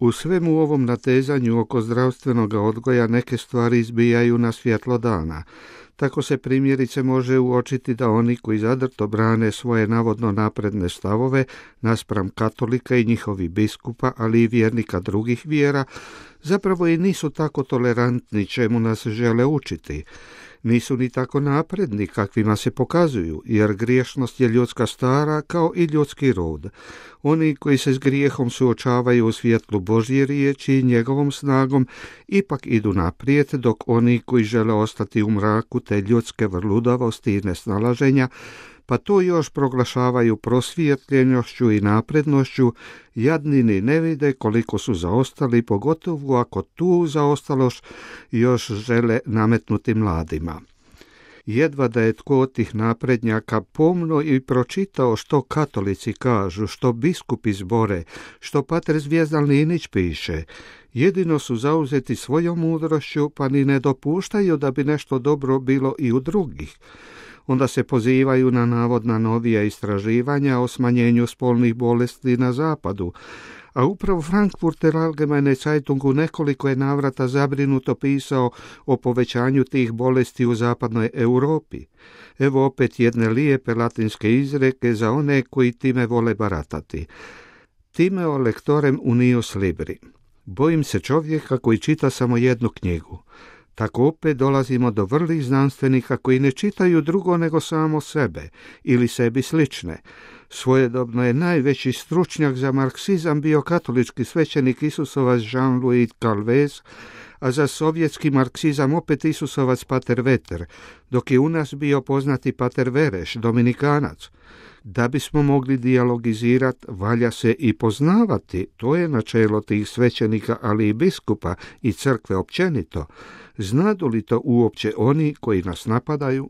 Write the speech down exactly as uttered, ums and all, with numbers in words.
U svemu ovom natezanju oko zdravstvenog odgoja neke stvari izbijaju na svjetlo dana. Tako se primjerice može uočiti da oni koji zadrto brane svoje navodno napredne stavove naspram katolika i njihovih biskupa, ali i vjernika drugih vjera, zapravo i nisu tako tolerantni čemu nas žele učiti. Nisu ni tako napredni kakvima se pokazuju, jer griješnost je ljudska stara kao i ljudski rod. Oni koji se s grijehom suočavaju u svjetlu Božje riječi i njegovom snagom ipak idu naprijed, dok oni koji žele ostati u mraku te ljudske vrludavosti i nesnalaženja, pa to još proglašavaju prosvjetljenošću i naprednošću, jadni ni ne vide koliko su zaostali, pogotovo ako tu zaostalost još žele nametnuti mladima. Jedva da je tko od tih naprednjaka pomno i pročitao što katolici kažu, što biskupi zbore, što pater Zvijezdan Linić piše. Jedino su zauzeti svojom mudrošću, pa ni ne dopuštaju da bi nešto dobro bilo i u drugih. Onda se pozivaju na navodna novija istraživanja o smanjenju spolnih bolesti na zapadu, a upravo Frankfurter Allgemeine Zeitung u nekoliko je navrata zabrinuto pisao o povećanju tih bolesti u zapadnoj Europi. Evo opet jedne lijepe latinske izreke za one koji time vole baratati. Timeo lectorem unius libri. Bojim se čovjeka koji čita samo jednu knjigu. Tako opet dolazimo do vrlih znanstvenika koji ne čitaju drugo nego samo sebe ili sebi slične. Svojedobno je najveći stručnjak za marksizam bio katolički svećenik Isusovac Jean-Louis Calvez, a za sovjetski marksizam opet Isusovac pater Veter, dok je u nas bio poznati pater Vereš, dominikanac. Da bismo mogli dijalogizirati, valja se i poznavati, to je načelo tih svećenika, ali i biskupa i crkve općenito. Znadu li to uopće oni koji nas napadaju?